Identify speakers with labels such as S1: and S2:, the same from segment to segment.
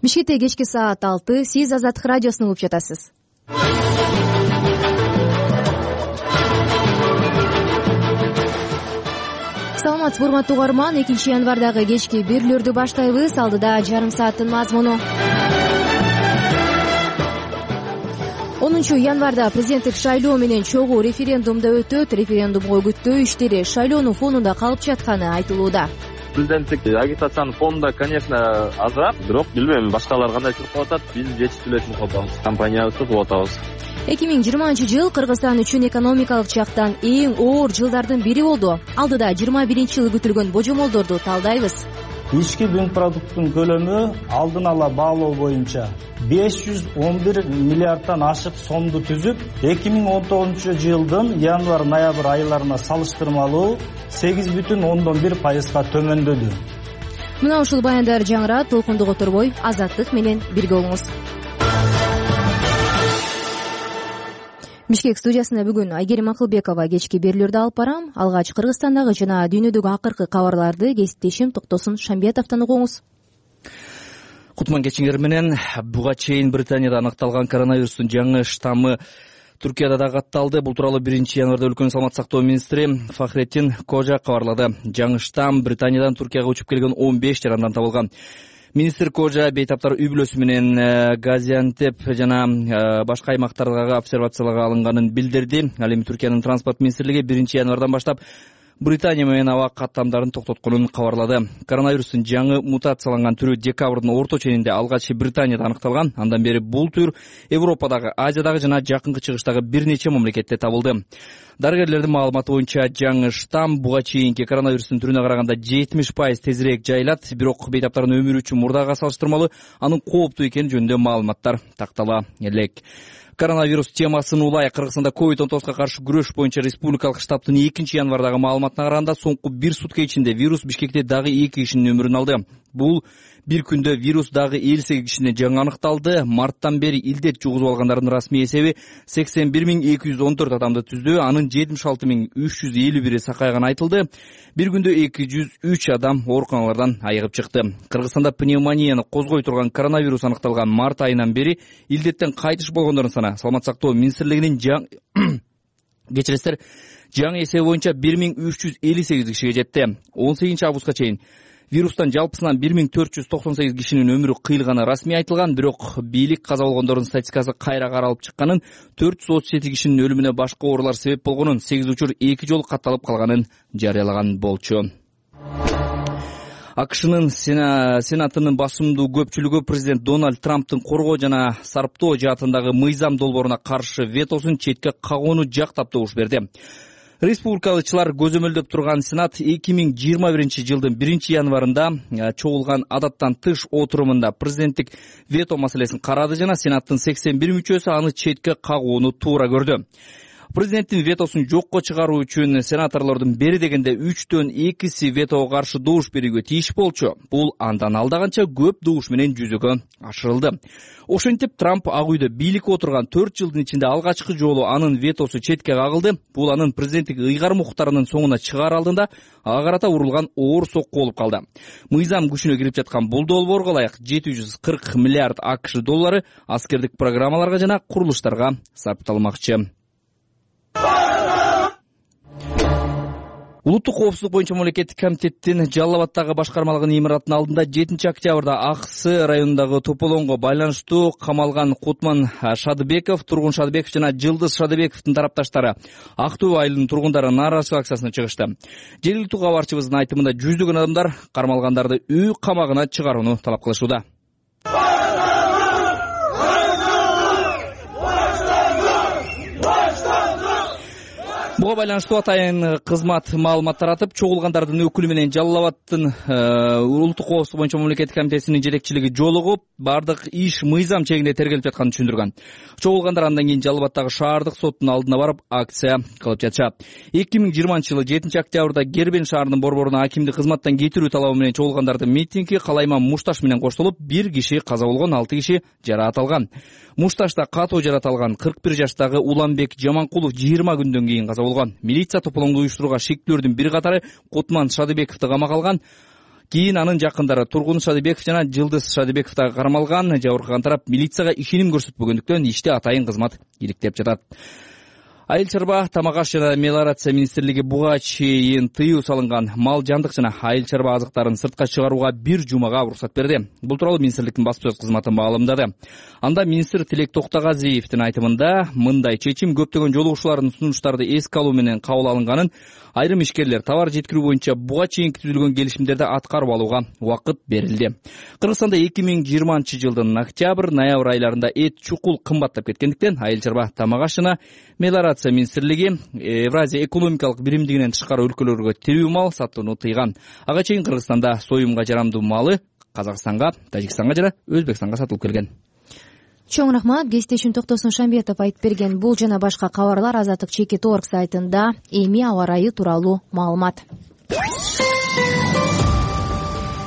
S1: Бишкекте кечки саат 6. Сиз Азаттык радиосун угуп жатасыз. Саламатсызбы урматтуу угарман, 2-январдагы кечки берүүлөрдү баштайбыз. Алдыда жарым сааттын мазмуну. 10 январда президенттик шайлоо менен чогуу референдум да өтөт. Референдумго үгүттөө иштери шайлоонун фонунда калып жатканы айтылууда.
S2: Президенттик агитациянын фонунда, конечно, азыраак, бирок билбейм, башкалар кандай чыгып атат, биз жетиштүүлөр чыгып атабыз. Компаниябызды кылып атабыз.
S1: 2020 жыл Кыргызстан үчүн экономикалык жактан эң оор жылдардын бири болду. Алдыда 21-жыл күтүлгөн божомолдорду талдайбыз.
S3: Ички бүң продукттун көлөмү алдын ала баалоо боюнча 511 миллиарддан ашык сомду түзүп, 2019 жылдын январь-ноябрь айларына салыштырмалуу 8,1% төмөндөдү.
S1: Мына ушул баяндар жаңырат, толкунду которбой Азаттык менен бирге болуңуз. Бишкек студиясында бүгүн Айгерим Акылбекова кечки берүүлөрдү алып барам. Алгач Кыргызстандагы жана дүйнөдөгү акыркы кабарларды кесиптешим Токтосун Шамбетовдон угуңуз.
S4: Кутман кечиңер менен. Буга чейин Британияда аныкталган коронавирустун жаңы штаммы Түркияда да катталды. Бул тууралуу 1-январда өлкөнүн саламаттык сактоо министри Фахретдин Кожа кабарлады. Жаңы штамм Британиядан Түркияга учуп келген 15 жарандан табылган. Министр Кожа бейтаптар үй-бүлөсү менен Газиантеп жана башка аймактардагы обсервацияларга алынганын билдирди. Ал эми Түркиянын транспорт министрлиги 1-январдан баштап Британия менен аба каттамдарын токтотконун кабарлады. Коронавирустун жаңы мутацияланган түрү декабрдын орто ченинде алгач Британияда аныкталган. Андан бери бул түр Европадагы, Азиядагы жана Жакынкы Чыгыштагы бир нече мамлекетте табылды. Дарыгерлердин маалыматы боюнча жаңы штамм буга чейинки коронавирустун түрүнө караганда 70% тезирээк жайылат, бирок бейтаптардын өмүрү үчүн мурдагы салыштырмалуу анын кооптуу экени жөнүндө маалыматтар тактала элек. Коронавирус темасын улай Кыргызстанда COVID-19 каршы күрөш боюнча республикалык штабтын 2-январдагы маалыматына караганда соңку бир сутка ичинде вирус Бишкекте дагы 2 кишинин өмүрүн алды. Бул бир күндө вирус дагы 58 кишине жаңы аныкталды. Марттан бери илдет жугузуп алгандардын расмий эсеби 81214 адамды түздү. Анын 76351 сакайганы айтылды. Бир күндө 203 адам ооруканалардан айыгып чыкты. Кыргызстанда пневмонияны козгой турган коронавирус аныкталган март айынан бери илдеттен кайтыш болгондордун саны Саламаттык сактоо министрлигинин жаңы эсеби боюнча 1358 кишиге жетти. 18-августка чейин вирустан жалпысынан 1498 кишинин өмүрү кыйылганы расмий айтылган, бирок бийлик каза болгондордун статистикасы кайра каралып чыкканын, 437 кишинин өлүмүнө башка оорулар себеп болгонун, 8 учур 2 жолу катталып калганын жарыялаган болчу. АКШнын Сенатынын басымдуу көпчүлүгү президент Дональд Трамптын коргоо жана сарптоо жаатындагы мыйзам долбооруна каршы ветосун четке кагууну жактап добуш берди. Республикалычылар көзөмөлдөп турган Сенат 2021 жылдын 1-январында чогулган адаттан тыш отурумунда президенттик вето маселесин карады жана Сенаттын 81 мүчөсү аны четке кагууну туура көрдү. Президенттин ветосун жокко чыгаруу үчүн сенаторлордун бери дегенде 3-2 ветого каршы добуш берүүгө тийиш болчу. Бул андан алдаганча көп добуш менен жүзөгө ашырылды. Ошентип Трамп Ак үйдө бийликке отурган 4 жылдын ичинде алгачкы жолу анын ветосу четке кагылды. Бул анын президенттик ыйгарым укуктарынын соңуна чыгаар алдында ага карата урулган оор сокку болуп калды. Мыйзам күчүнө кирип жаткан бул долбоорго ылайык 740 миллиард АКШ доллары аскердик программаларга жана курулуштарга сарпталмакчы. Улуттук коопсуздук боюнча мамлекеттик комитеттин Жалал Абаддагы башкармалыгынын имаратынын алдында 7 октябрда Аксы районундагы тополоңго байланыштуу камалган Кутман Шадыбеков, Тургун Шадыбеков жана Жылдыз Шадыбековдун тарапташтары Актөө айылынын тургундары нааразычылык акциясына чыгышты. Жергиликтүү кабарчыбыздын айтымында жүздөгөн адамдар кармалгандарды үй камагына чыгарууну талап кылышууда. Буга байланыштуу атайын кызмат маалымат таратып, чогулгандардын өкүлү менен Жалал Абаддын улуттук коопсуздук боюнча мамлекеттик комитетинин жетекчилиги жолугуп, бардык иш мыйзам чегинде тергелип жатканын түшүндүргөн. Чогулгандар андан кийин Жалал Абаддагы шаардык соттун алдына барып акция кылып жатышат. 2020 жылы 7 октябрда Гербен шаарынын борборуна акимди кызматтан кетирүү талабы менен чогулгандардын митинги Калайман Мушташ менен коштолуп, 1 киши каза болгон, 6 киши жараат алган. Мушташта катуу жараат алган 41 жаштагы Уланбек Жаманкулов 20 күндөн кийин каза болгон. Милиция тополоңду уюштурууга шектүүлөрдүн бир катары Кутман Шадыбековду камакка алган. Кийин анын жакындары Тургун Шадыбеков жана Жылдыз Шадыбеков да кармалган. Жабыркаган тарап милицияга ишеним көрсөтпөгөндүктөн иште атайын кызмат иликтеп жатат. Айыл чарба, тамак аш жана мелиорация министрлиги буга чейин тыюу салынган мал жандык жана айыл чарба азыктарын сыртка чыгарууга 1 жумага уруксат берди. Бул тууралуу министрликтин басма сөз кызматы маалымдады. Анда министр Тилек Токтогазиевдин айтымында мындай чечим көптөгөн жолугушуулардын сунуштарды эске алуу менен кабыл алынганын, айрым ишкерлер товар жеткирүү боюнча буга чейин түзүлгөн келишимдерди аткарып алууга убакыт берилди. Кыргызстанда 2020-жылдын октябрь-ноябрь айларында эт чукул кымбаттап кеткендиктен айыл чарба, тамак аш жана мелиорация министрлиги Евразия экономикалык биримдигинен тышкары өлкөлөргө тирүү мал сатууну тыйган. Ага чейин Кыргызстанда союмга жарамдуу малы Казакстанга, Тажикстанга жана Өзбекстанга сатылып келген.
S1: Чоң рахмат. Кесиптешим Токтосун Шамбетов айтып берген бул жана башка кабарлар Азаттык Чекит.org сайтында. Эми аба ырайы тууралуу маалымат.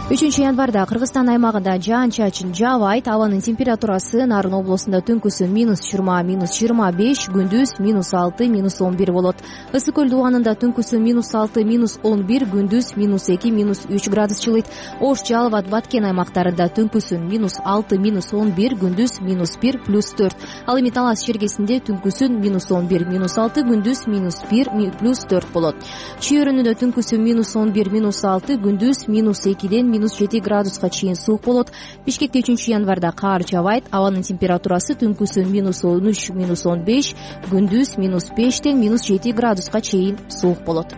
S1: 3-январда Кыргызстан аймагында жаан-чачын жаабайт. Абанын температурасы Нарын облусунда түнкүсүн -20, -25, күндүз -6, -11 болот. Ысык көл дубанында түнкүсүн -6, -11, күндүз -2, -3 градус жылыйт. Ош, Жалал-Абад, Баткен аймактарында түнкүсүн -6, -11, күндүз -1, +4. Ал эми Талас чергесинде түнкүсүн -11, -6, күндүз -1, +4 болот. Чүй өрүнүндө түнкүсүн -11, -6, күндүз -2ден -7 градуска чейин суук болот. Бишкекте 3-январда каар жаабайт. Абанын температурасы түнкүсүн -13, -15, күндүз -5ден -7 градуска чейин суук болот.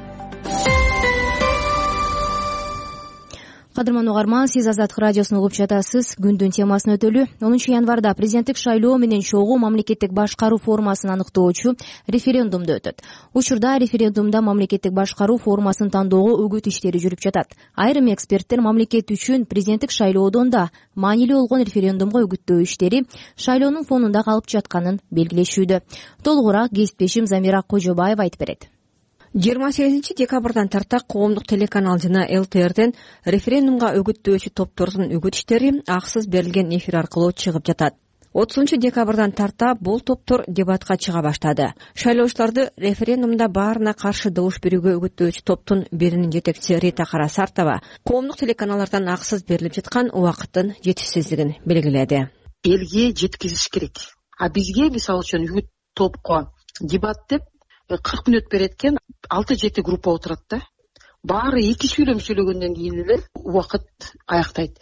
S1: Кадырман угарман, сиз Азаттык радиосун угуп жатасыз. Күндүн темасын өтөлү. 10-январда президенттик шайлоо менен чогуу мамлекеттик башкаруу формасын аныктоочу референдумду өтөт. Учурда референдумда мамлекеттик башкаруу формасын тандоого үгүт иштери жүрүп жатат. Айрым эксперттер мамлекет үчүн президенттик шайлоодон да маанилүү болгон референдумга үгүттөө иштери шайлоонун фонунда калып жатканын белгилешүүдө. Толугураак кесиптешим Замира Кожобаева айтып берет.
S5: 28-декабрдан тарта коомдук телеканал жана ЛТРден референдумга үгүттөөчү топтордун үгүт иштери аксыз берилген эфир аркылуу чыгып жатат. 30-декабрдан тарта бул топтор дебатка чыга баштады. Шайлоочуларды референдумда баарына каршы добуш берүүгө үгүттөөчү топтун биринин жетекчиси Рита Карасартова коомдук телеканалдардан аксыз берилип жаткан убакыттын жетишсиздигин белгиледи.
S6: Элге жеткизиш керек. А бизге мисалы үчүн үгүт топко дебат деп 40 мүнөт берет экен, 6-7 группа отурат да. Баары 2 сүйлөгөндөн кийин эле убакыт аяктайт.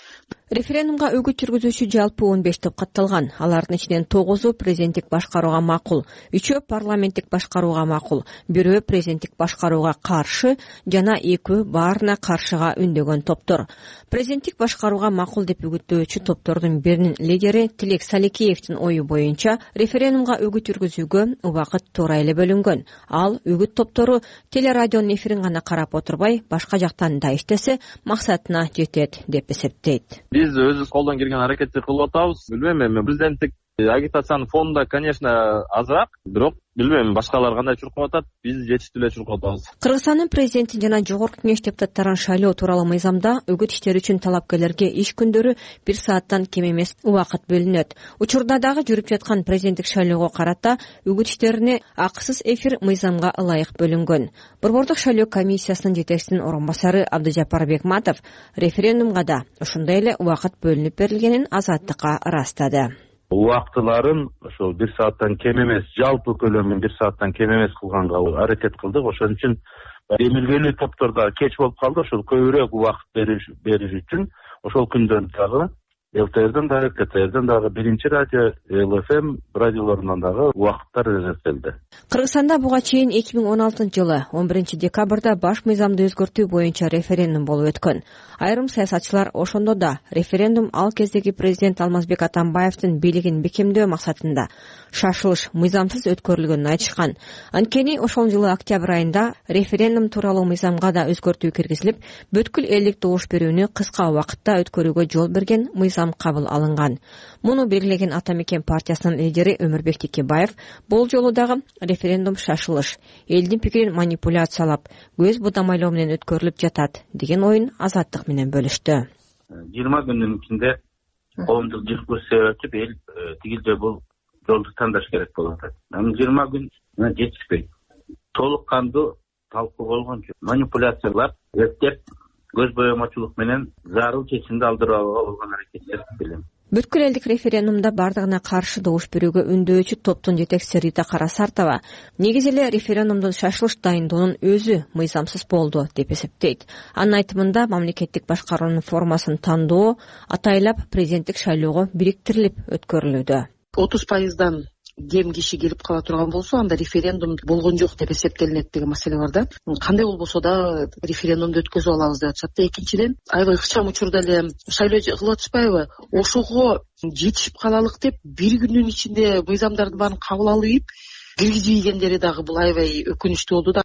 S5: Референдумга үгүт жүргүзүүчү жалпы 15 топ катталган. Алардын ичинен 9-у президенттик башкарууга макул, 3-өө парламенттик башкарууга макул, 1-өө президенттик башкарууга каршы жана 2-өө баарына каршыга үндөгөн топтор. Президенттик башкарууга макул деп үгүттөөчү топтордун биринин лидери Тилек Салекеевдин ою боюнча референдумга үгүт жүргүзүүгө убакыт туура эле бөлүнгөн. Ал үгүт топтору телерадионун эфирин гана карап отурбай, башка жактан да иштесе максатына жетет деп эсептейт.
S2: Биз өзүбүз колдон келген аракетти кылып атабыз. Билбейм, эми президенттик агитациянын фонунда, конечно, азыраак, бирок билбейм, башкалар кандай чуркап атат, биз жетиштүү эле чуркап атабыз.
S5: Кыргызстандын президенти жана жогорку кеңеш депутаттарын шайлоо тууралуу мыйзамда үгүт иштери үчүн талапкерлерге иш күндөрү 1 сааттан кем эмес убакыт бөлүнөт. Учурда дагы жүрүп жаткан президенттик шайлоого карата үгүт иштерине акысыз эфир мыйзамга ылайык бөлүнгөн. Борбордук шайлоо комиссиясынын жетекчисинин орун басары Абдыжапар Бекматов референдумга да ушундай эле убакыт бөлүнүп берилгенин Азаттыкка ырастады.
S7: Убактыларын ошол 1 сааттан кем эмес, жалпы көлөмүн 1 сааттан кем эмес кылганга аракет кылдык. Ошон үчүн эмилгелүү топторда кеч болуп калды. Ошол көбүрөөк убакыт бериш үчүн ошол күндөн дагы ЛТРден дагы, КТРден дагы, биринчи радио, ЛФМ радиолорунан дагы убакыттар эзертелди.
S5: Кыргызстанда буга чейин 2016-жылы 11-декабрда баш мыйзамды өзгөртүү боюнча референдум болуп өткөн. Айрым саясатчылар ошондо да референдум ал кездеги президент Алмазбек Атамбаевдин бийлигин бекемдөө максатында шашылыш мыйзамсыз өткөрүлгөнүн айтышкан. Анткени ошол жылы октябрь айында референдум тууралуу мыйзамга да өзгөртүү киргизилип, бүткүл элдик добуш берүүнү кыска убакытта өткөрүүгө жол берген мыйзам кабыл алынган. Муну белгилеген Ата Мекен партиясынын лидери Өмүрбек Текебаев бул жолу дагы референдум шашылыш, элдин пикирин манипуляциялап, көз будамайлоо менен өткөрүлүп жатат деген оюн Азаттык менен бөлүштү.
S7: 20 күндүн ичинде коомдук дискуссия өтүп, эл тигилде бул жолду тандаш керек болуп атат. 20 күн жетишпейт. Толук кандуу талкуу болгон жок. Манипуляциялап, эптеп көз боемочулук менен зарыл чечимди алдырып алууга болгон аракеттер деп билем.
S5: Бүткүл элдик референдумда бардыгына каршы добуш берүүгө үндөөчү топтун жетекчиси Рита Карасартова негизи эле референдумдун шашылыш дайындоонун өзү мыйзамсыз болду деп эсептейт. Анын айтымында мамлекеттик башкаруунун формасын тандоо атайлап президенттик шайлоого бириктирилип өткөрүлүүдө.
S6: 30% кем киши келип кала турган болсо анда референдум болгон жок деп эсептелинет деген маселе бар да. Кандай болбосо да референдумду өткөзүп алабыз деп атышат да. Экинчиден аябай ыкчам учурда эле шайлоо кылып атышпайбы? Ошого жетишип калалык деп бир күндүн ичинде мыйзамдарды баарын кабыл алып ийип киргизип ийгендери дагы бул аябай өкүнүчтүү болду да.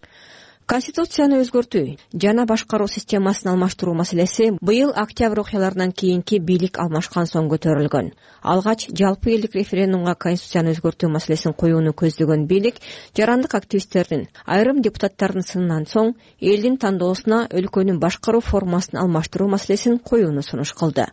S5: Конституцияны өзгөртүү жана башкаруу системасын алмаштыруу маселеси быйыл октябрь окуяларынан кийинки бийлик алмашкан соң көтөрүлгөн. Алгач жалпы элдик референдумга конституцияны өзгөртүү маселесин коюуну көздөгөн бийлик жарандык активисттердин, айрым депутаттардын сынынан соң элдин тандоосуна өлкөнүн башкаруу формасын алмаштыруу маселесин коюуну сунуш кылды.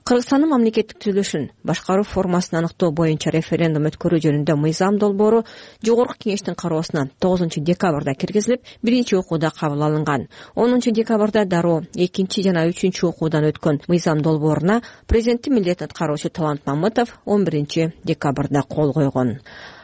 S5: Кыргызстандын мамлекеттик түзүлүшүн башкаруу формасын аныктоо боюнча референдум өткөрүү жөнүндө мыйзам долбоору Жогорку Кеңештин кароосуна 9 декабрда киргизилип, биринчи окууда кабыл алынган. 10 декабрда дароо 2 жана 3 окуудан өткөн мыйзам долбооруна президенттин милдетин аткаруучу Талант Мамытов 11 декабрда кол койгон.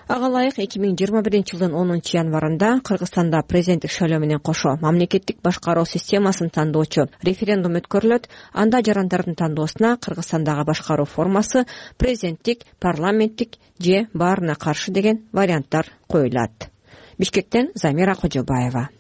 S5: Ага ылайык 2021 жылдын 10 январында Кыргызстанда президенттик шайлоо менен кошо мамлекеттик башкаруу системасын тандоочу референдум өткөрүлөт. Анда жарандардын тандоосуна Кыргызстандагы башкаруу формасы президенттик, парламенттик же баарына каршы деген варианттар коюлат. Бишкектен Замира Кожобаева.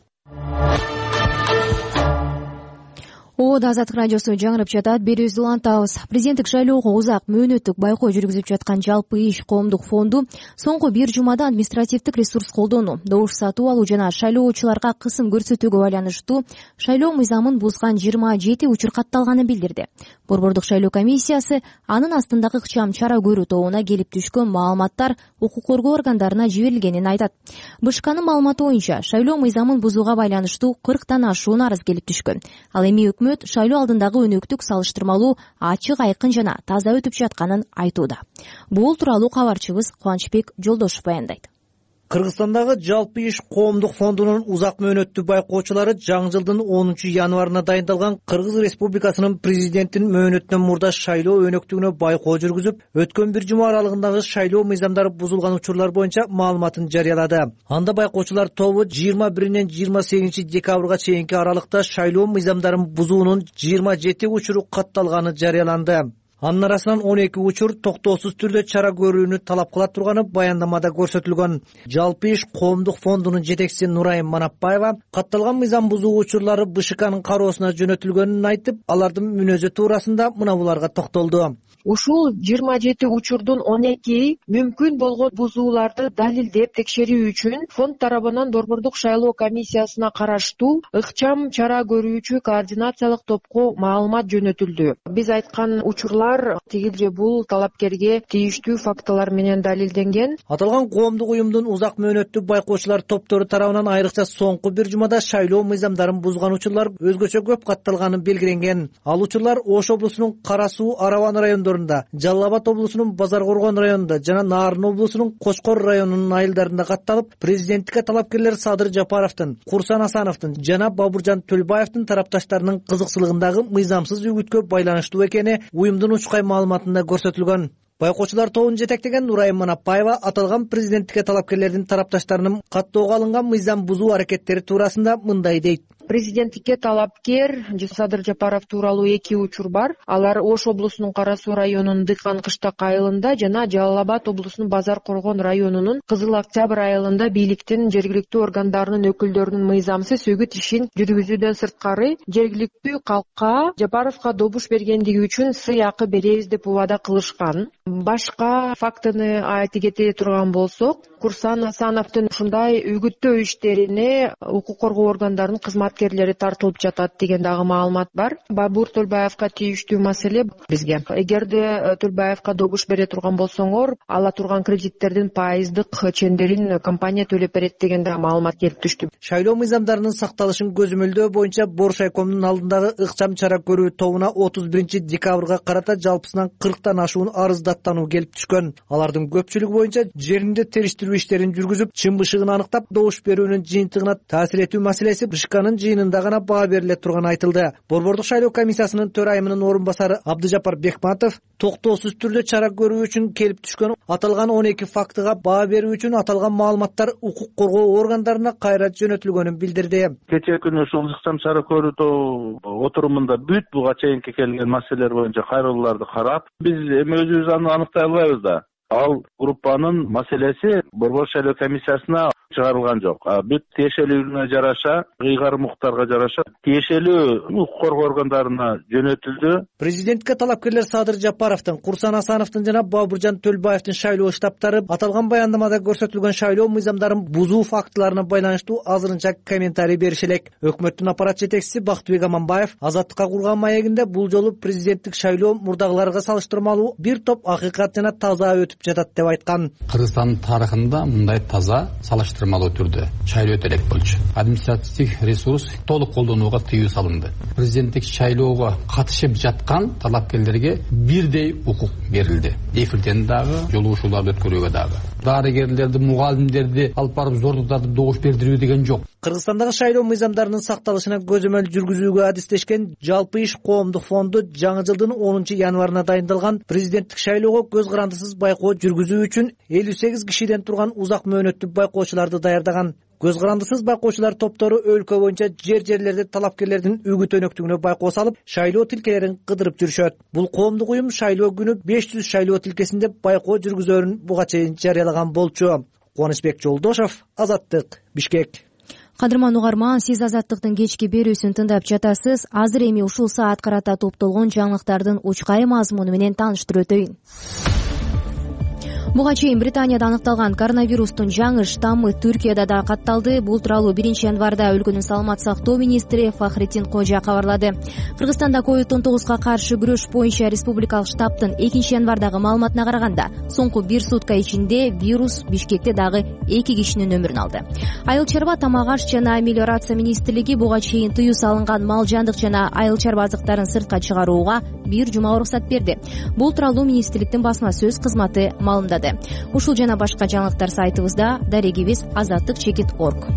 S1: Азаттык радиосу жаңырып жатат. Берүүбүздү улантабыз. Президенттик шайлоого узак мөөнөттүк байкоо жүргүзүп жаткан Жалпы иш коомдук фонду соңку бир жумада административдик ресурс колдонуу, добуш сатып алуу жана шайлоочуларга кысым көрсөтүүгө байланыштуу шайлоо мыйзамын бузган 27 учур катталганын билдирди. Борбордук шайлоо комиссиясы анын астындагы ыкчам чара көрүү тобуна келип түшкөн маалыматтар укук коргоо органдарына жиберилгенин айтат. БШКнын маалыматы боюнча шайлоо мыйзамын бузууга байланыштуу 40 ашуун арыз келип түшкөн. Ал эми өкмөт шайлоо алдындагы өнөктүк салыштырмалуу ачык, айкын жана таза өтүп жатканын айтууда. Бул тууралуу кабарчыбыз Кубанычбек Жолдошов баяндайт.
S8: Кыргызстандагы Жалпы иш коомдук фондунун узак мөөнөттүү байкоочулары жаңы жылдын 10 январына дайындалган Кыргыз Республикасынын президентинин мөөнөтүнөн мурда шайлоо өнөктүгүнө байкоо жүргүзүп, өткөн бир жума аралыгындагы шайлоо мыйзамдары бузулган учурлар боюнча маалыматын жарыялады. Анда байкоочулар тобу 21 28 декабрга чейинки аралыкта шайлоо мыйзамдарын бузуунун 27 учуру катталганы жарыяланды. Анын арасынан 12 учур токтоосуз түрдө чара көрүүнү талап кыла турганы баяндамада көрсөтүлгөн. Жалпы иш коомдук фондунун жетекчиси Нурайым Манапбаева катталган мыйзам бузуу учурлары БШКнын кароосуна жөнөтүлгөнүн айтып, алардын мүнөзү туурасында мына буларга токтолду.
S9: Ушул 27 учурдун 12 мүмкүн болгон бузууларды далилдеп текшерүү үчүн фонд тарабынан Борбордук шайлоо комиссиясына караштуу ыкчам чара көрүүчү координациялык топко маалымат жөнөтүлдү. Биз айткан учурлар тигил же бул талапкерге тийиштүү фактылар менен далилденген.
S8: Аталган коомдук уюмдун узак мөөнөттүү байкоочулар топтору тарабынан айрыкча соңку бир жумада шайлоо мыйзамдарын бузган учурлар өзгөчө көп катталганы белгиленген. Ал учурлар Ош облусунун Кара Суу, Арабан райондорунда, Жалал Абад облусунун Базар Коргон районунда жана Нарын облусунун Кочкор районунун айылдарында катталып, президенттикке талапкерлер Садыр Жапаровдун, Курсан Асановдун жана Бабуржан Төлбаевдин тарапташтарынын кызыкчылыгындагы мыйзамсыз үгүткө байланыштуу экени уюмдун учкай маалыматында көрсөтүлгөн. Байкоочулар тобун жетектеген Нурайым Манапбаева аталган президенттикке талапкерлердин тарапташтарынын каттоого алынган мыйзам бузуу аракеттери туурасында мындай дейт.
S9: Президенттикке талапкер Садыр Жапаров тууралуу 2 учур бар. Алар Ош облусунун Кара Суу районунун Дыкан Кыштак айылында жана Жалал Абад облусунун Базар Коргон районунун Кызыл Октябрь айылында бийликтин жергиликтүү органдарынын өкүлдөрүнүн мыйзамсыз үгүт ишин жүргүзүүдөн сырткары жергиликтүү калкка Жапаровго добуш бергендиги үчүн сый акы беребиз деп убада кылышкан. Башка фактыны айта кете турган болсок, Курсан Асановдун ушундай үгүттөө иштерине укук коргоо органдарынын кызматкерлери тартылып жатат деген дагы маалымат бар. Бабур Төлбаевга тийиштүү маселе бизге. Эгерде Төлбаевга добуш бере турган болсоңор, ала турган кредиттердин пайыздык чендерин компания төлөп берет деген да маалымат келип түштү.
S8: Шайлоо мыйзамдарынын сакталышын көзөмөлдөө боюнча Боршайкомдун алдындагы ыкчам чара көрүү тобуна 31 декабрга карата жалпысынан 40 ашуун арыз даттануу келип түшкөн. Алардын көпчүлүгү боюнча жеринде териштирүү иштерин жүргүзүп, чын бышыгын аныктап, добуш берүүнүн жыйынтыгына таасир этүү маселеси БШКнын жыйынында гана баа бериле турганы айтылды. Борбордук шайлоо комиссиясынын төрайымынын орун басары Абдыжапар Бекматов токтоосуз түрдө чара көрүү үчүн келип түшкөн аталган 12 фактыга баа берүү үчүн аталган маалыматтар укук коргоо органдарына кайра жөнөтүлгөнүн билдирди.
S7: Кечээ күнү ушул ыкчам чара көрүү отурумунда бүт буга чейинки келген маселелер боюнча кайрылууларды карап, биз эми өзүбүз аны аныктай албайбыз да. Ал группанын маселеси Борбордук шайлоо комиссиясына чыгарылган жок. Бүт тиешелүүлүгүнө жараша, кыйгарым укуктарга жараша тиешелүү укук коргоо органдарына жөнөтүлдү.
S8: Президентке талапкерлер Садыр Жапаровдун, Курсан Асановдун жана Бабыржан Төлбаевдин шайлоо штабтары аталган баяндамада көрсөтүлгөн шайлоо мыйзамдарын бузуу фактыларына байланыштуу азырынча комментарий бериш элек. Өкмөттүн аппарат жетекчиси Бактыбек Аманбаев Азаттыкка курган маегинде бул жолу президенттик шайлоо мурдагыларга салыштырмалуу бир топ акыйкат жана таза өтүп жатат деп айткан.
S10: Кыргызстандын тарыхында мындай таза салыштырмалуу түрдө шайлоо өтө элек болчу. Административдик ресурс толук колдонууга тыюу салынды. Президенттик шайлоого катышып жаткан талапкерлерге бирдей укук берилди. Эфирден дагы, жолугушууларды өткөрүүгө дагы. Дарыгерлерди, мугалимдерди алып барып зордуктарды добуш бердирүү деген жок.
S8: Кыргызстандагы шайлоо мыйзамдарынын сакталышына көзөмөл жүргүзүүгө адистешкен Жалпы иш коомдук фонду жаңы жылдын 10 январына дайындалган президенттик шайлоого көз карандысыз байкоо жүргүзүү үчүн 58 кишиден турган узак мөөнөттүү байкоочуларды даярдаган. Көз карандысыз байкоочулар топтору өлкө боюнча жер-жерлерде талапкерлердин үгүт өнөктүгүнө байкоо салып, шайлоо тилкелерин кыдырып жүрүшөт. Бул коомдук уюм шайлоо күнү 500 шайлоо тилкесинде байкоо жүргүзөөрүн буга чейин жарыялаган болчу. Кубанычбек Жолдошов, Азаттык, Бишкек.
S1: Кадырман угарман, сиз Азаттыктын кечки берүүсүн тыңдап жатасыз. Азыр эми ушул саат карата топтолгон жаңылыктардын учкай мазмуну менен тааныштырып өтөйүн. Буга чейин Британияда аныкталган коронавирустун жаңы штаммы Түркияда да катталды. Бул тууралуу 1 январда өлкөнүн саламат сактоо министри Фахреттин Кожа кабарлады. Кыргызстанда COVID-19 каршы күрөш боюнча республикалык штабтын 2 январдагы маалыматына караганда, соңку 1 сутка ичинде вирус Бишкекте дагы 2 кишинин өмүрүн алды. Айыл чарба, тамак аш жана мелиорация министрлиги буга чейин тыюу салынган мал жандык жана айыл чарба азыктарын сыртка чыгарууга 1 жума уруксат берди. Бул тууралуу министрликтин басма сөз кызматы маалымдады. Ушул жана башка жаңылыктар сайтыбызда, дарегибиз azattik.org.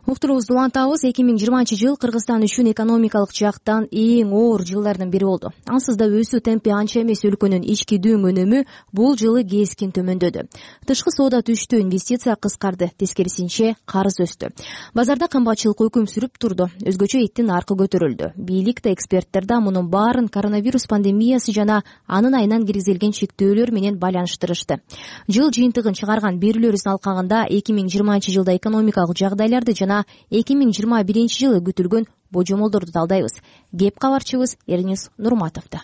S1: Уктуруубузду улантабыз. 2020 жыл Кыргызстан үчүн экономикалык жактан эң оор жылдардын бири болду. Ансыз да өсүү темпи анча эмес. Өлкөнүн ички дүң өнүмү бул жылы кескин төмөндөдү. Тышкы соода түштү, инвестиция кыскарды, тескерисинче карыз өстү. Базарда кымбатчылык өкүм сүрүп турду. Өзгөчө эттин наркы көтөрүлдү. Бийлик да, эксперттер да мунун баарын коронавирус пандемиясы жана анын айынан киргизилген чектөөлөр менен байланыштырышты. Жыл жыйынтыгын чыгарган берүүлөрүбүздүн алкагында 2020 жылда экономикалык жагдайларды жана 2021 жылы күтүлгөн божомолдорду талдайбыз. Кеп кабарчыбыз Эрнис Нурматовдо.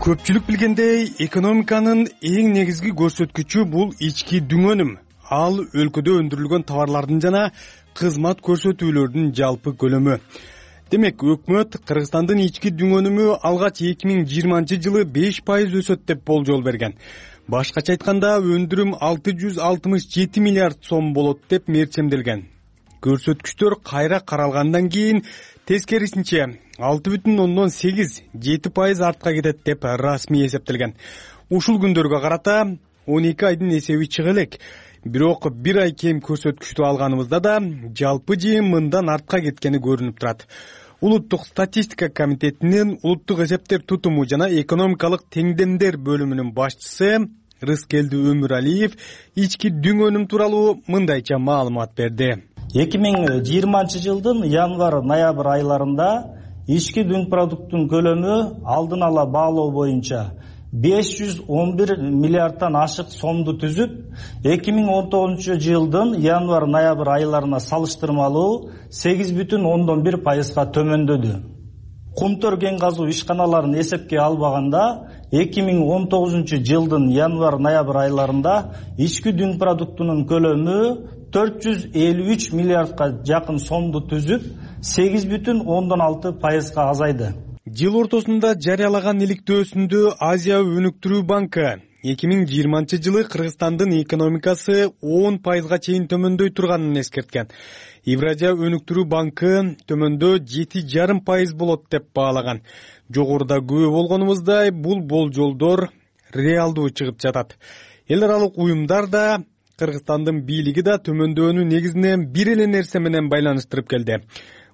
S11: Көпчүлүк билгендей, экономиканын эң негизги көрсөткүчү бул ички дүң өнүм. Ал өлкөдө өндүрүлгөн товарлардын жана кызмат көрсөтүүлөрдүн жалпы көлөмү. Демек, өкмөт Кыргызстандын ички дүң өнүмү алгач 2020 жылы 5% өсөт деп болжол берген. Башкача айтканда, өндүрүм 667 миллиард сом болот деп мерчемделген. Көрсөткүчтөр кайра каралгандан кийин тескерисинче 6,8-7% артка кетет деп расмий эсептелген. Ушул күндөргө карата 12 айдын эсеби чыга элек. Бирок 1 ай кем көрсөткүчтү алганыбызда да жалпы жыйын мындан артка кеткени көрүнүп турат. Улуттук статистика комитетинин улуттук эсептер тутуму жана экономикалык теңдемдер бөлүмүнүн башчысы Рыскелди Өмүралиев ички дүң өнүм тууралуу мындайча маалымат берди.
S3: 2020 жылдын январ-ноябрь айларында ички дүң продукттун көлөмү алдын ала баалоо боюнча 511 миллиардтан ашык сомду түзүп, 2019 жылдын январ-ноябрь айларына салыштырмалуу 8,1%га төмөндөдү. Кумтөр кен казуу ишканаларын эсепке албаганда, 2019 жылдын январ-ноябрь айларында ички дүң продуктунун көлөмү 453 миллиардка жакын сомду түзүп, 8,6%га азайды.
S11: Жыл ортосунда жарыялаган иликтөөсүндө Азия өнүктүрүү банкы 2020 жылы Кыргызстандын экономикасы 10%га чейин төмөндөй турганын эскерткен. Евразия өнүктүрүү банкы төмөндөө 7,5% болот деп баалаган. Жогоруда күбө болгонубуздай, бул болжолдор реалдуу чыгып жатат. Эл аралык уюмдар да Кыргызстандын бийлиги да төмөндөөнү негизинен бир эле нерсе менен байланыштырып келди.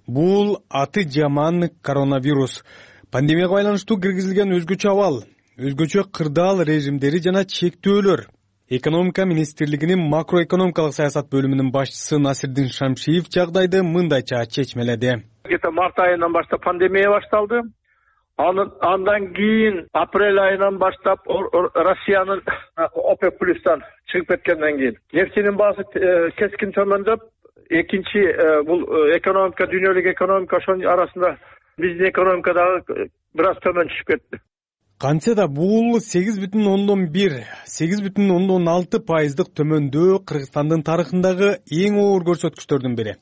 S11: Бул аты жаман коронавирус. Пандемияга байланыштуу киргизилген өзгөчө абал, өзгөчө кырдаал режимдери жана чектөөлөр. Экономика министрлигинин макроэкономикалык саясат бөлүмүнүн башчысы Насирдин Шамшиев жагдайды мындайча чечмеледи.
S12: Где-то март айынан баштап пандемия башталды. Андан кийин апрель айынан баштап Россиянын ОПЕК плюстан чыгып кеткенден кийин нефтинин баасы кескин төмөндөп, экинчи бул экономика, дүйнөлүк экономика, ошонун арасында биздин экономика дагы бир аз төмөн түшүп кетти.
S11: Кантсе да бул 8,1-8,6% төмөндөө Кыргызстандын тарыхындагы эң оор көрсөткүчтөрдүн бири.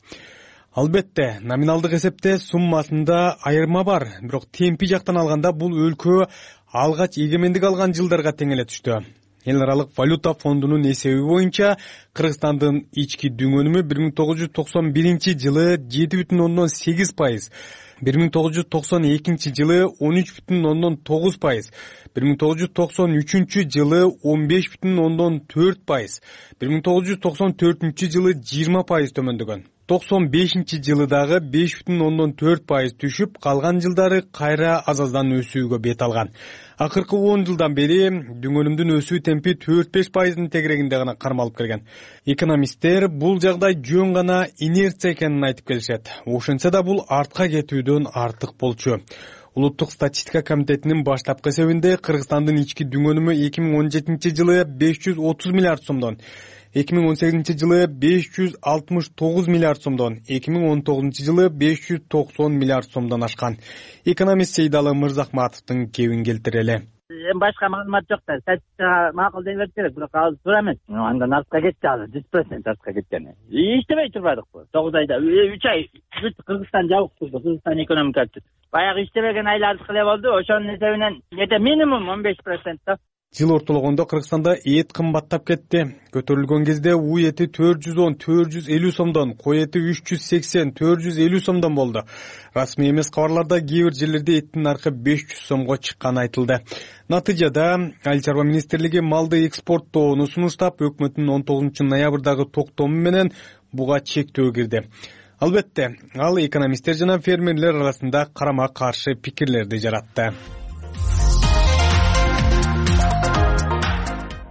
S11: Албетте, номиналдык эсепте суммасында айырма бар, бирок темпи жактан алганда бул өлкө алгач эгемендик алган жылдарга тең эле түштү. Эл аралык валюта фондунун эсеби боюнча Кыргызстандын ички дүнгөнүмү 1991 жылы 7,8%, 1992 жылы 13,9%, 1993 жылы 15,4%, 1994 жылы 20% төмөндөгөн. 95 жылы дагы 5,4% түшүп, калган жылдары кайра аз-аздан өсүүгө бет алган. Акыркы 10 жылдан бери дүнгөнүмдүн өсүү темпи 4-5%дын тегерегинде гана кармалып келген. Экономисттер бул жагдай жөн гана инерция экенин айтып келишет. Ошентсе да бул артка кетүүдөн артык болчу. Улуттук статистика комитетинин баштапкы эсебинде Кыргызстандын ички дүнгөнүмү 2017 жылы 530 миллиард сомдон, 2018 жылы 569 миллиард сомдон, 2019 жылы 590 миллиард сомдон ашкан. Экономист Сейдалы Мырзахматовдун кебин келтирели.
S13: Башка маалымат жок да, статистикага макул дей бериш керек, бирок ал туура эмес. Андан артка кетти, ал 100% артка кеткен. Иштебей турбадыкпы? 9 айда 3 ай Кыргызстан жабык турду, Кыргызстан экономикасы. Баягы иштебеген айлардыкы эле болду, ошонун эсебинен где-то минимум 15% да.
S11: Жыл ортологондо Кыргызстанда эт кымбаттап кетти. Көтөрүлгөн кезде у эти 410-450 сомдон, кой эти 380-450 сомдон болду. Расмий эмес кабарларда кээ бир жерлерде эттин наркы 500 сомго чыкканы айтылды. Натыйжада Айыл чарба министрлиги малды экспорттоону сунуштап, өкмөттүн 19 ноябрдагы токтому менен буга чектөө кирди. Албетте, ал экономисттер жана фермерлер арасында карама-каршы пикирлерди жаратты.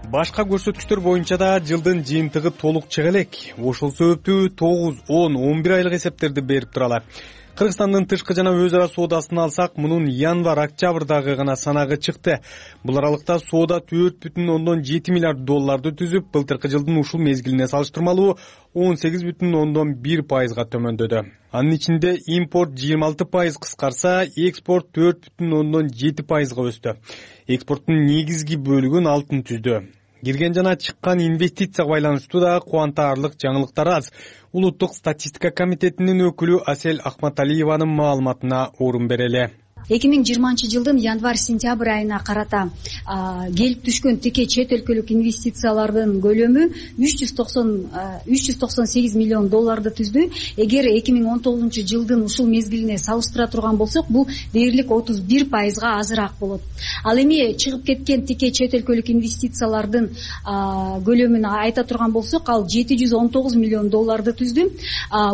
S11: Башка көрсөткүчтөр боюнча да жылдын жыйынтыгы толук чыга элек. Ошол себептүү 9, 10, 11 айлык эсептерди берип туралы. Кыргызстандын тышкы жана өз ара соодасын алсак, мунун январь-октябрдагы гана санагы чыкты. Бул аралыкта соода 4,7 миллиард долларды түзүп, былтыркы жылдын ушул мезгилине салыштырмалуу 18,1%га төмөндөдү. Анын ичинде импорт 26% кыскарса, экспорт 4,7%га өстү. Экспорттун негизги бөлүгүн алтын түздү. Кирген жана чыккан инвестицияга байланыштуу да кубантарлык жаңылыктар аз. Улуттук статистика комитетинин өкүлү Асель Ахматалиеванын маалыматына орун берели.
S14: 2020 жылдын январь-сентябрь айына карата келип түшкөн тике чет өлкөлүк инвестициялардын көлөмү 398 миллион долларды түздү. Эгер 2019 жылдын ушул мезгилине салыштыра турган болсок, бул дээрлик 31%га азыраак болот. Ал эми чыгып кеткен тике чет өлкөлүк инвестициялардын көлөмүн айта турган болсок, ал 719 миллион долларды түздү.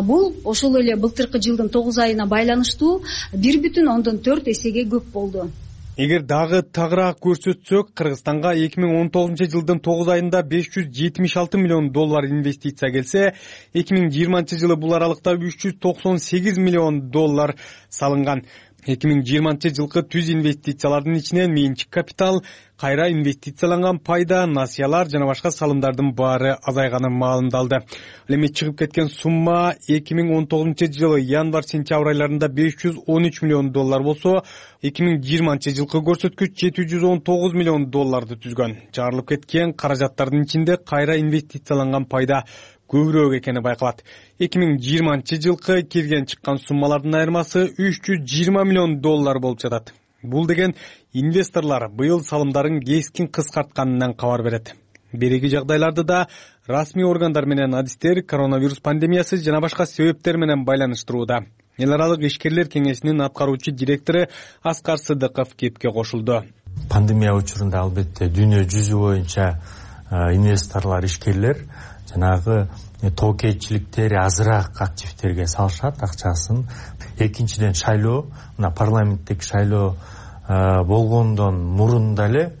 S14: Бул ошол эле былтыркы жылдын 9 айына байланыштуу 1,4 эсеге көп болду.
S11: Эгер дагы тагыраак көрсөтсөк, Кыргызстанга 2019 жылдын 9 айында 576 миллион доллар инвестиция келсе, 2020 жылы бул аралыкта 398 миллион доллар салынган. 2020 жылкы түз инвестициялардын ичинен менчик капитал, кайра инвестицияланган пайда, насыялар жана башка салымдардын баары азайганы маалымдалды. Ал эми чыгып кеткен сумма 2019 жылы январь-сентябрь айларында 513 миллион доллар болсо, 2020 жылкы көрсөткүч 719 миллион долларды түзгөн. Чыгарылып кеткен каражаттардын ичинде кайра инвестицияланган пайда көбүрөөк экени байкалат. 2020 жылкы кирген чыккан суммалардын айырмасы 320 миллион доллар болуп жатат. Бул деген инвесторлор быйыл салымдарын кескин кыскартканынан кабар берет. Береги жагдайларды да расмий органдар менен адистер коронавирус пандемиясы жана башка себептер менен байланыштырууда. Эл аралык ишкерлер кеңешинин аткаруучу директору Аскар Сыдыков кепке кошулду.
S15: Пандемия учурунда албетте дүйнө жүзү боюнча инвесторлор, ишкерлер жанагы тоокейчиликтери азыраак активтерге салышат акчасын. Экинчиден шайлоо, мына парламенттик шайлоо болгондон мурун деле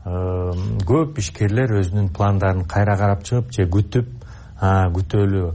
S15: көп ишкерлер өзүнүн пландарын кайра карап чыгып же күтөлү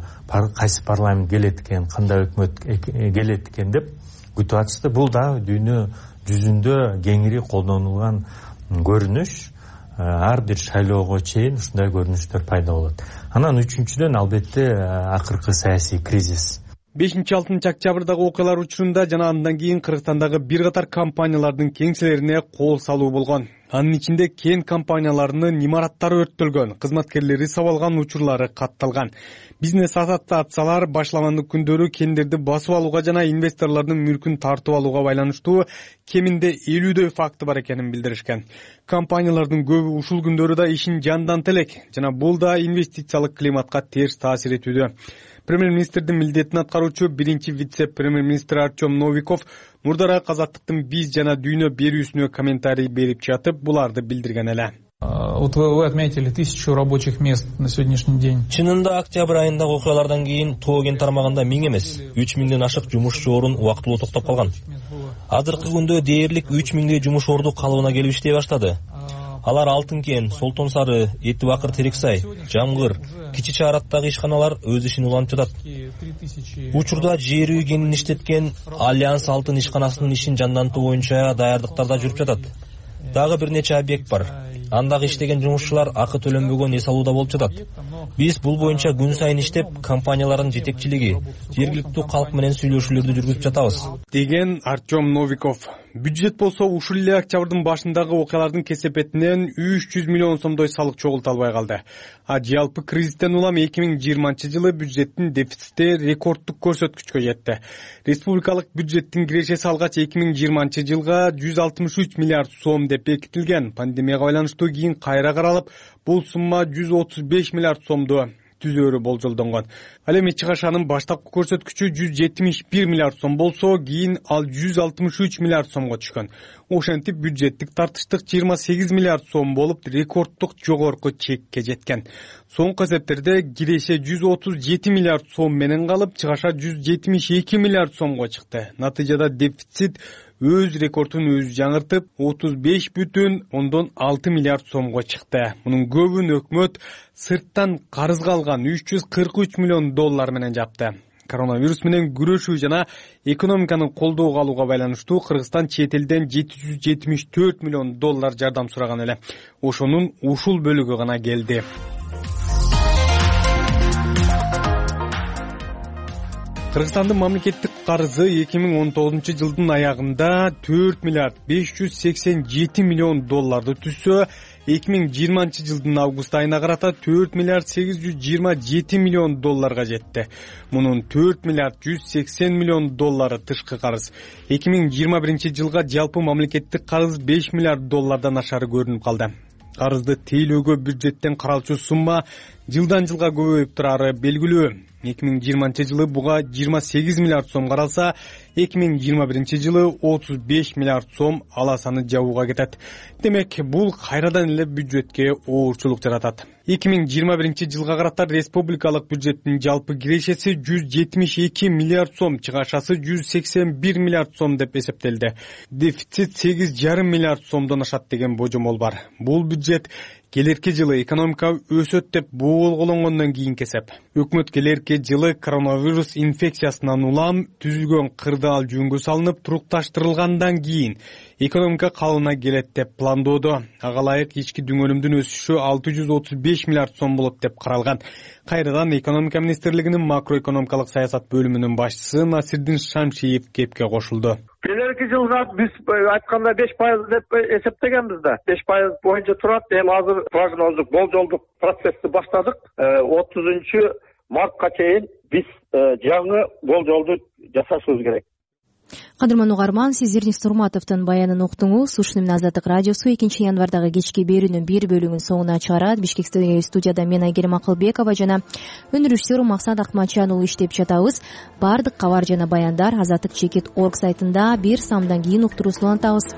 S15: кайсы парламент келет экен, кандай өкмөт келет экен деп күтүп атышты. Бул да дүйнө жүзүндө кеңири колдонулган көрүнүш. Ар бир шайлоого чейин ушундай көрүнүштөр пайда болот. Анан үчүнчүдөн албетте акыркы саясий кризис.
S11: 5-6 октябрдагы окуялар учурунда жана андан кийин Кыргызстандагы бир катар компаниялардын кеңселерине кол салуу болгон. Анын ичинде кен компанияларынын имараттары өрттөлгөн, кызматкерлери сабалган учурлары катталган. Бизнес ассоциациялар башламандык күндөрү кендерди басып алууга жана инвесторлордун мүлкүн тартып алууга байланыштуу кеминде 50дөй факты бар экенин билдиришкен. Компаниялардын көбү ушул күндөрү да ишин жандантып элек жана бул да инвестициялык климатка терс таасир этүүдө. Премьер-министрдин милдетин аткаруучу биринчи вице-премьер-министр Артем Новиков мурдараак Азаттыктын биз жана дүйнө берүүсүнө комментарий берип жатып, буларды билдирген эле.
S16: Вот вы отметили 1000 рабочих мест на сегодняшний день.
S17: Чынында октябрь айындагы окуялардан кийин Тоо кен тармагында 1000 эмес, 3000ден ашык жумушчу орун убактылуу токтоп калган. Азыркы күндө дээрлик 3000дей жумуш орду калыбына келип иштей баштады. Алар Алтын кен, Солтон Сары, Эти Бакыр, Терексай, Жамгыр, Кичи Чаараттагы ишканалар өз ишин улантып жатат. Учурда жер үй кенин иштеткен Альянс Алтын ишканасынын ишин жандантуу боюнча даярдыктарда жүрүп жатат. Дагы бир нече объект бар. Андагы иштеген жумушчулар акы төлөнбөгөн эс алууда болуп жатат. Биз бул боюнча күн сайын иштеп, компаниялардын жетекчилиги, жергиликтүү калк менен сүйлөшүүлөрдү жүргүзүп жатабыз,
S11: деген Артем Новиков. Бюджет болсо ушул эле октябрдын башындагы окуялардын кесепетинен 300 миллион сомдой салык чогулта албай калды. Жалпы кризистен улам 2020-жылы бюджеттин дефицити рекорддук көрсөткүчкө жетти. Республикалык бюджеттин кирешеси алгач 2020-жылга 163 миллиард сом деп бекитилген. Пандемияга байланыштуу кийин кайра каралып, бул сумма 135 миллиард сомду түзөөрү болжолдонгон. Ал эми чыгашанын баштапкы көрсөткүчү 171 миллиард сом болсо, кийин ал 163 миллиард сомго түшкөн. Ошентип бюджеттик тартыштык 28 миллиард сом болуп, рекорддук жогорку чекке жеткен. Соңку эсептерде киреше 137 миллиард сом менен калып, чыгаша 172 миллиард сомго чыкты. Натыйжада дефицит өз рекордун өзү жаңыртып 35,6 миллиард сомго чыкты. Мунун көбүн өкмөт сырттан карызга алган 343 миллион доллар менен жапты. Коронавирус менен күрөшүү жана экономиканы колдоого алууга байланыштуу Кыргызстан чет элден 774 миллион доллар жардам сураган эле. Ошонун ушул бөлүгү гана келди. Кыргызстандын мамлекеттик карызы 2019-жылдын аягында 4 миллиард 587 миллион долларды түзсө, 2020-жылдын август айына карата 4 миллиард 827 миллион долларга жетти. Мунун 4 миллиард 180 миллион доллары тышкы карыз. 2021-жылга жалпы мамлекеттик карыз 5 миллиард доллардан ашары көрүнүп калды. Карызды тейлөөгө бюджеттен каралчу сумма жылдан жылга көбөйүп турары белгилүү. 2020-жылы буга 28 миллиард сом каралса, 2021-жылы 35 миллиард сом аласаны жабууга кетет. Демек, бул кайрадан эле бюджетке оорчулук жаратат. 2021-жылга карата республикалык бюджеттин жалпы кирешеси 172 миллиард сом, чыгашасы 181 миллиард сом деп эсептелди. Дефицит 8,5 миллиард сомдон ашат деген божомол бар. Бул бюджет келерки жылы экономика өсөт деп болгологондон кийин кесеп. Өкмөт келерки жылы коронавирус инфекциясынан улам түзүлгөн кырдаал жөнгө салынып турукташтырылгандан кийин экономика калыбына келет деп пландоодо. Ага ылайык ички дүңөлүмдүн өсүшү 635 миллиард сом болот деп каралган. Кайрадан экономика министрлигинин макроэкономикалык саясат бөлүмүнүн башчысы Насирдин Шамшиев кепке кошулду.
S12: Келерки жылга биз айтканда 5% деп эсептегенбиз да. 5% боюнча турат. Эми азыр прогноздук, болжолдук процессти баштадык. 30-мартка чейин биз жаңы болжолду жасашыбыз керек.
S1: Кадырман угарман, сиз Эрнис Турматовдун баянын уктуңуз. Ушуну менен Азаттык радиосу 2-январдагы кечки берүүнүн бир бөлүгүн соңуна чыгарат. Бишкектеги студияда мен Айгерим Акылбекова жана өнүрүштөр Максат Акматжан уулу иштеп жатабыз. Бардык кабар жана баяндар Азаттык.org сайтында 1 самдан кийин уктуруусун улантабыз.